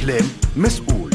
كلام مسؤول.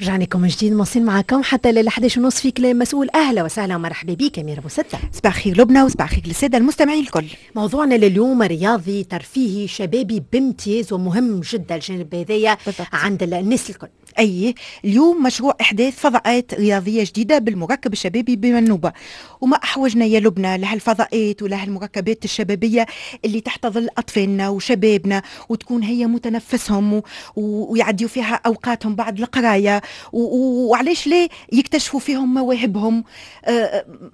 رجعنا لكم من جديد، مواصلين معكم حتى لل 11:30 في كلام مسؤول. اهلا وسهلا ومرحبا بك اميره ابو ستة. صباح الخير لبنى وصباح الخير للسادة المستمعين الكل. موضوعنا لليوم رياضي ترفيهي شبابي بامتياز، ومهم جدا الجانب هذايا عند الناس الكل. اي، اليوم مشروع احداث فضاءات رياضية جديدة بالمركب الشبابي بمنوبه، وما احوجنا يا لبنى لهالفضاءات ولهالمركبات الشبابية اللي تحتضن اطفالنا وشبابنا وتكون هي متنفسهم ويعديوا فيها اوقاتهم بعد القراية، وعلاش لا يكتشفوا فيهم مواهبهم.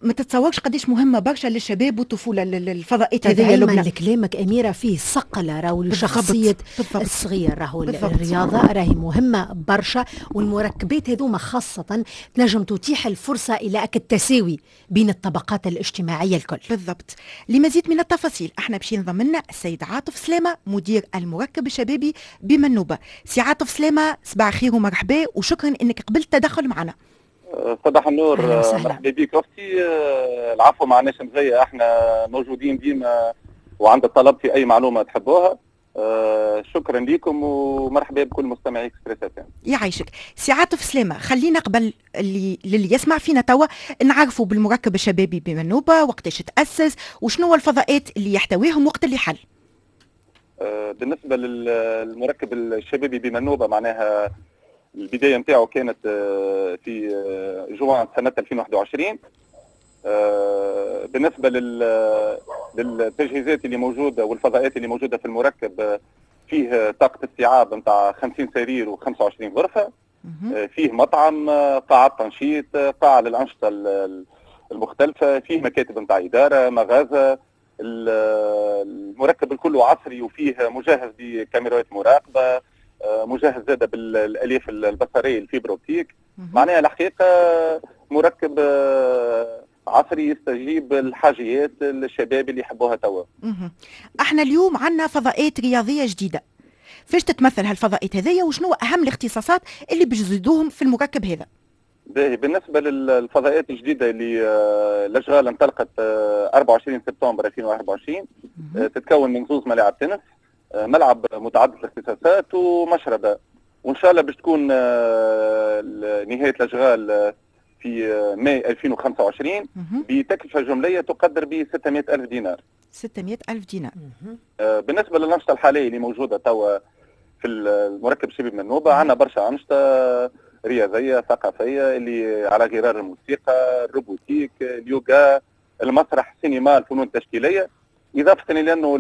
ما تتصورش قداش مهمة برشا للشباب والطفوله الفضاءات هذه يا لبنى. لكلامك اميره، فيه صقل راهو لشخصية الصغير، راهو الرياضة راهي مهمة برشا، والمركبات هذوما خاصة تنجم تتيح الفرصة إلى التساوي بين الطبقات الاجتماعية الكل. بالضبط. لمزيد من التفاصيل احنا باش ينضم لنا السيد عاطف سلامة، مدير المركب الشبابي بمنوبة. سي عاطف سلامة، صباح الخير ومرحبا، وشكرا انك قبلت التدخل معنا. صباح النور، مرحبا بك اختي. العفو، ما عناش مزية، احنا موجودين ديما وعند الطلب في اي معلومة تحبوها. شكرا لكم ومرحبا بكل مستمعي اكسبريس اف ام. يعيشك سي عاطف سلامه. خلينا قبل اللي للي يسمع فينا توا نعرفوا بالمركب الشبابي بمنوبه، وقتاش تاسس وشنو الفضاءات اللي يحتويهم وقت اللي حل. بالنسبة للمركب الشبابي بمنوبه، معناها البداية نتاعو كانت في جوان سنة 2021. بالنسبة للتجهيزات اللي موجودة والفضاءات اللي موجودة في المركب، فيه طاقة استيعاب نتاع 50 سرير و25 غرفه، فيه مطعم، قاعة تنشيط، قاعة للانشطه المختلفه، فيه مكاتب نتاع اداره، مغازه. المركب الكل عصري وفيه مجهز بكاميرات مراقبه، مجهز زاده بالالياف البصرية ال fibre optique. معناها الحقيقة مركب عصري يستجيب الحاجيات الشباب اللي يحبوها توا. احنا اليوم عندنا فضاءات رياضية جديده، فاش تتمثل هالفضاءات هذيا وشنو اهم الاختصاصات اللي باش تزيدوهم في المركب هذا؟ باهي، بالنسبة للفضاءات الجديدة اللي الاشغال انطلقت 24 سبتمبر 2024، تتكون من زوز ملاعب تنس، ملعب متعدد الاختصاصات ومشربه، وان شاء الله باش تكون نهاية الاشغال في ماي 2025 بتكلفه جمليه تقدر ب 600 الف دينار. 600 الف دينار. بالنسبة للانشطه الحالية اللي موجودة توا في المركب شباب منوبه، عندنا برشا انشطة رياضية ثقافية اللي على غرار الموسيقى، ال robotique، اليوغا، المسرح، السينما، الفنون التشكيليه، اضافه الى انه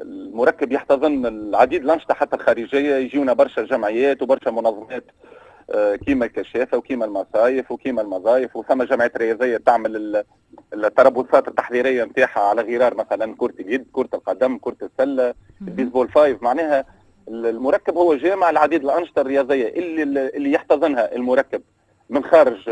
المركب يحتضن العديد الانشطة حتى الخارجيه. يجيونا برشا جمعيات وبرشا منظمات كيما الكشافه وكيما المصايف وكيما المضايف، وثم جمعيات رياضية تعمل التربصات التحضيريه نتاعها على غرار مثلا كره اليد، كره القدم، كره السله، ال baseball five. معناها المركب هو جامع العديد الانشطة الرياضية اللي يحتضنها المركب من خارج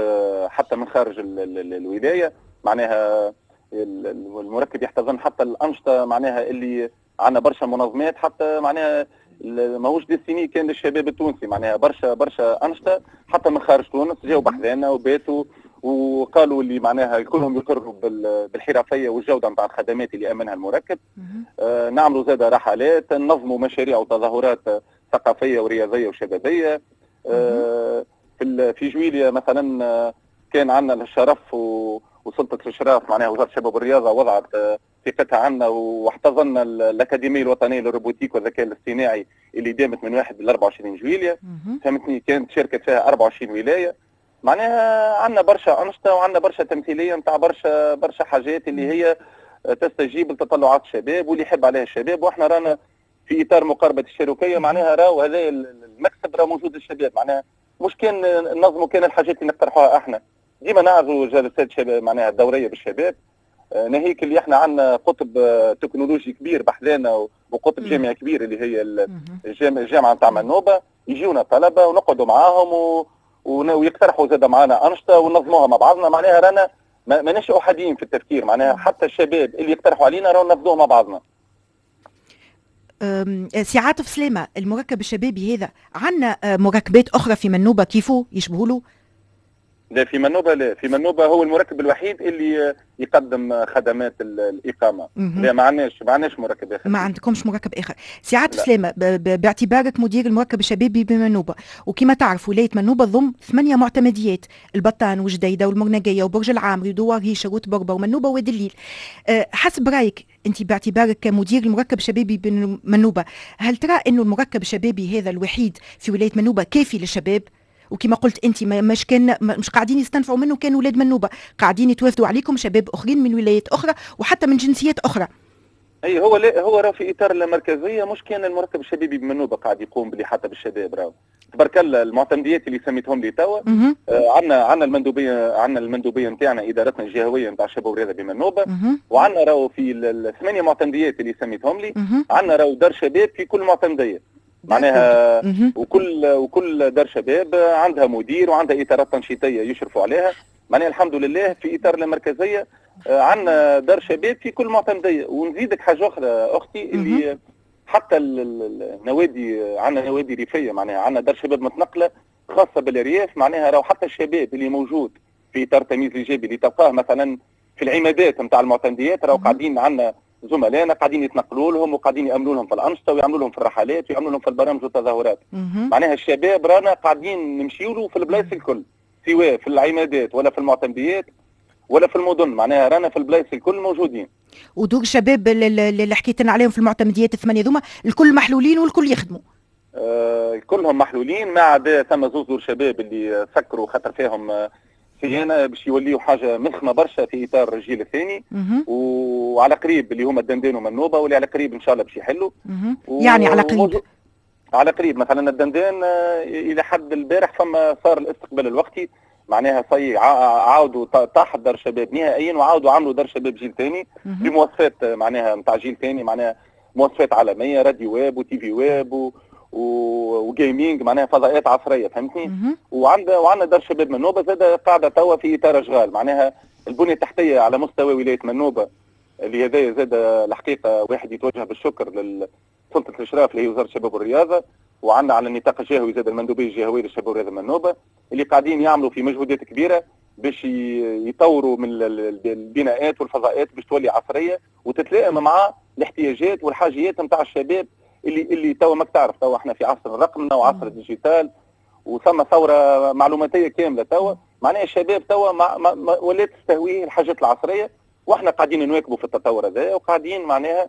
حتى من خارج الولايه. معناها المركب يحتضن حتى الانشطه، معناها اللي عندنا برشا منظمات، حتى معناها ماهوش destiné كان للشباب التونسي، معناها برشا برشا انشطة حتى من خارج تونس جاوا بحذانا وباتوا وقالوا اللي معناها كلهم يقروا بالحرفيه والجودة نتاع الخدمات اللي امنها المركب. نعملوا زاد رحلات، ننظموا مشاريع وتظاهرات ثقافية ورياضيه وشبابيه. في جويليا مثلا كان عندنا الشرف وسلطة الاشراف، معناها وزارة الشباب والرياضة وضعت ثقتها عنا واحتضنا الاكاديمية الوطنية لل robotique والذكاء الاصطناعي اللي دامت من 1 ل 24 جويليا، فهمتني؟ كانت شاركت فيها 24 ولايه. معناها عندنا برشا انشطة وعندنا برشا تمثيلية نتاع برشا برشا حاجات اللي هي تستجيب لتطلعات الشباب واللي يحب عليها الشباب. واحنا رانا في اطار مقاربة الشركيه، معناها راهو هذا المكسب راه موجود للشباب، معناها مش كان ننظموا كان الحاجات اللي نقترحوها احنا، ديما نعرضوا جلسات شباب معناها دورية بالشباب. ناهيك اللي احنا عندنا قطب تكنولوجي كبير بحذانا وقطب جامعي كبير اللي هي الجامعة نتاع منوبه، يجيونا طلبه ونقعدوا معاهم ويقترحوا زاد معنا انشطة وننظموها مع بعضنا. معناها رانا ماناش احاديين في التفكير، معناها حتى الشباب اللي يقترحوا علينا راهو ننفذوه مع بعضنا. سي عاطف سلامة، المركب الشبابي هذا عندنا مركبات أخرى في منوبة كيفو يشبهوا له؟ لا في منوبه، لا في منوبه هو المركب الوحيد اللي يقدم خدمات الاقامة. لا ما عندناش مركب اخر. ما عندكمش مركب اخر. سي عاطف سلامه، باعتبارك مدير المركب الشبابي بمنوبه، وكما تعرف ولاية منوبه تضم 8 معتمديات، البطان وجديدة والمرنقيه وبرج العامري ودوار هيشر وتبربه ومنوبه وادي الليل. حسب رايك انت باعتبارك كمدير المركب الشبابي بمنوبه، هل ترى انه المركب الشبابي هذا الوحيد في ولاية منوبه كافي للشباب؟ وكما قلت انت مش قاعدين يستنفعوا منه كانوا ولاد منوبه، قاعدين يتوافدوا عليكم شباب اخرين من ولايات اخرى وحتى من جنسيات اخرى. اي هو لا، هو راه في اطار المركزية، مش كان المركب الشبابي بمنوبه قاعد يقوم باللي حتى بالشباب، راهو تبارك الله المعتمديات اللي سميتهم لي توا. عندنا المندوبيه، عندنا المندوبيه نتاعنا ادارتنا الجهوية نتاع الشباب والرياضة بمنوبه، وعندنا راهو في الثمانية معتمديات اللي سميتهم لي، عندنا راهو دار شباب في كل معتمديه معناها، وكل دار شباب عندها مدير وعندها اطارات تنشيطيه يشرفوا عليها. معناها الحمد لله في اطار المركزية عندنا دار شباب في كل معتمديه. ونزيدك حاجة اخرى اختي، اللي حتى النوادي، عندنا نوادي ريفيه، معناها عندنا دار شباب متنقله خاصة بالارياف، معناها راهو حتى الشباب اللي موجود في اطار التمييز الايجابي اللي تلقاه مثلا في العمادات نتاع المعتمديات، راهو قاعدين عندنا زملائنا قاعدين يتنقلوا لهم وقاعدين يامنوا لهم في الانشطة ويعملوا لهم في الرحلات ويعملوا لهم في البرامج والتظاهرات. معناها الشباب رانا قاعدين نمشيوا له في البلايص الكل، سواء في العمادات ولا في المعتمديات ولا في المدن، معناها رانا في البلايص الكل موجودين. ودور الشباب اللي حكيت لنا عليهم في المعتمديات الثمانية ذوما الكل محلولين والكل يخدموا؟ كلهم محلولين، ما عدا ثم زوز دور شباب اللي سكروا خاطر فيهم صيانة باش يوليوا حاجة مخمه برشا في اطار الجيل الثاني، وعلى قريب اللي هما الدندان ومنوبه، واللي على قريب ان شاء الله باش يحلوا. يعني على قريب؟ على قريب. مثلا الدندان الى حد البارح فما صار الاستقبال الوقتي، معناها عاودوا طاحت دار شباب نهائيا وعاودوا عملوا دار شباب جيل ثاني بمواصفات معناها نتاع جيل ثاني، معناها مواصفات عالمية، radio web و TV web و gaming، معناها فضاءات عصرية، فهمتني؟ وعندنا دار شباب منوبه زاد قاعدة توا في اطار اشغال، معناها البنية التحتية على مستوى ولاية منوبه اللي هذايا زاد الحقيقة واحد يتوجه بالشكر لسلطه الاشراف اللي هي وزارة الشباب والرياضة، وعندنا على النطاق الجهوي زاد المندوبيه الجهوية للشباب والرياضة منوبه اللي قاعدين يعملوا في مجهودات كبيرة باش يطوروا من البناءات والفضاءات باش تولي عصرية وتتلائم مع الاحتياجات والحاجيات نتاع الشباب اللي توا ماك تعرف توا احنا في عصر الرقمنه وعصر ال digital وثم ثورة معلوماتيه كاملة توا، معناها الشباب توا ما ولات تستهويه الحاجات العصرية، واحنا قاعدين نواكبوا في التطور هذا وقاعدين معناها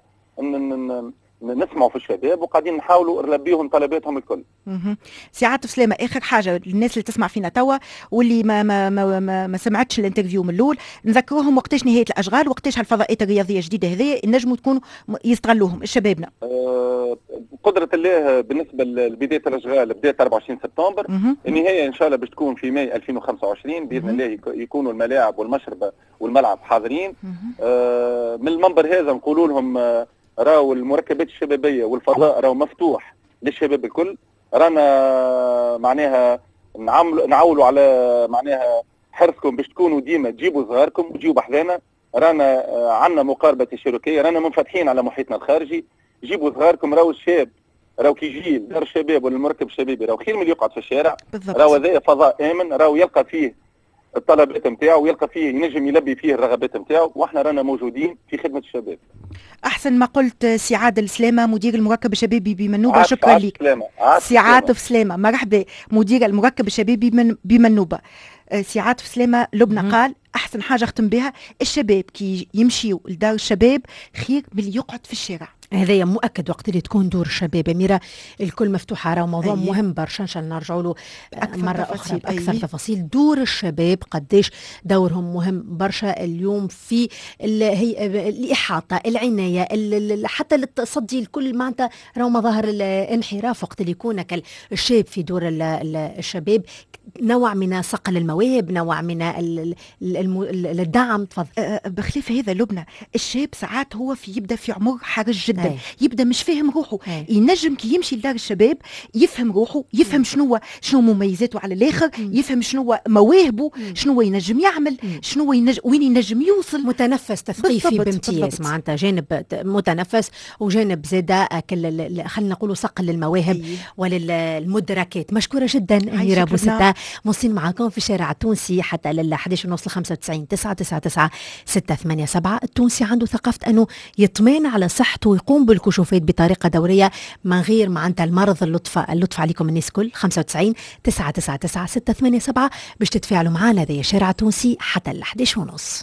نسمعوا في الشباب وقاعدين نحاولوا نلبيهم طلباتهم الكل. سي عاطف سلامه، اخر حاجة للناس اللي تسمع فينا توا واللي ما ما ما ما, ما سمعتش ال interview من الاول، نذكروهم وقتاش نهاية الاشغال، وقتاش هالفضاءات الرياضية الجديدة هذه نجموا تكونوا يستغلوهم شبابنا؟ بقدره الله بالنسبة لبداية الاشغال بدات 24 سبتمبر، النهاية ان شاء الله باش تكون في ماي 2025 باذن الله، يكونوا الملاعب والمشربه والملعب حاضرين. من المنبر هذا نقولوا لهم راهو المركبات الشبابية والفضاء راهو مفتوح للشباب الكل، رانا معناها نعولوا على معناها حرصكم باش تكونوا ديما تجيبوا صغاركم وتجيبوا بحذانا، رانا عندنا مقاربة تشاركيه، رانا منفتحين على محيطنا الخارجي، جيبوا صغاركم. راهو الشاب راهو كي يجي دار الشباب ولا المركب الشبابي راهو خير من اللي يقعد في الشارع، راهو هذا فضاء امن، راهو يلقى فيه الطلبات نتاعو ويلقى فيه ينجم يلبي فيه الرغبات نتاعو، واحنا رانا موجودين في خدمة الشباب. احسن ما قلت سي عادل سلامه مدير المركب الشبابي بمنوبه، شكرا لك سي عاطف سلامه، مرحبا مدير المركب الشبابي بمنوبه. سي عاطف سلامه، لبنى قال احسن حاجة اختم بها، الشباب كي يمشيوا لدار الشباب خير من اللي يقعد في الشارع. هذايا مؤكد وقت اللي تكون دور الشباب أميرة الكل مفتوحة، راه موضوع مهم برشا، إن شاء الله نرجعوا له مرة أخرى بأكثر تفاصيل. دور الشباب قديش دورهم مهم برشا اليوم في هي الإحاطة، العناية، حتى التصدي الكل، معناتها راهو مظاهر الانحراف وقت اللي يكون الشاب في دور الشباب نوع من صقل المواهب، نوع من الدعم. تفضل. بخلاف هذا لبنى، الشاب ساعات هو في يبدا في عمر حرج جدا. جدا. يبدا مش فاهم روحه. ينجم كي يمشي لدار الشباب يفهم روحه، يفهم شنو مميزاته على الاخر، يفهم شنو مواهبه، شنو ينجم يعمل، شنو ينجم، وين ينجم يوصل. متنفس تثقيفي بامتياز، معناتها جانب متنفس وجانب زاده خلينا نقولوا صقل للمواهب وللمدركات. مشكورة جدا اميره بوستا. مواصلين معكم في الشارع التونسي حتى لل 11 ونص، 95 999 687. التونسي عنده ثقافة انه يطمئن على صحته ويقوم بالكشوفات بطريقة دورية من غير معناتها المرض. اللطف اللطف عليكم الناس كل. 95 999 687 باش تتفاعلوا معنا. هذا الشارع التونسي حتى ال 11 ونص.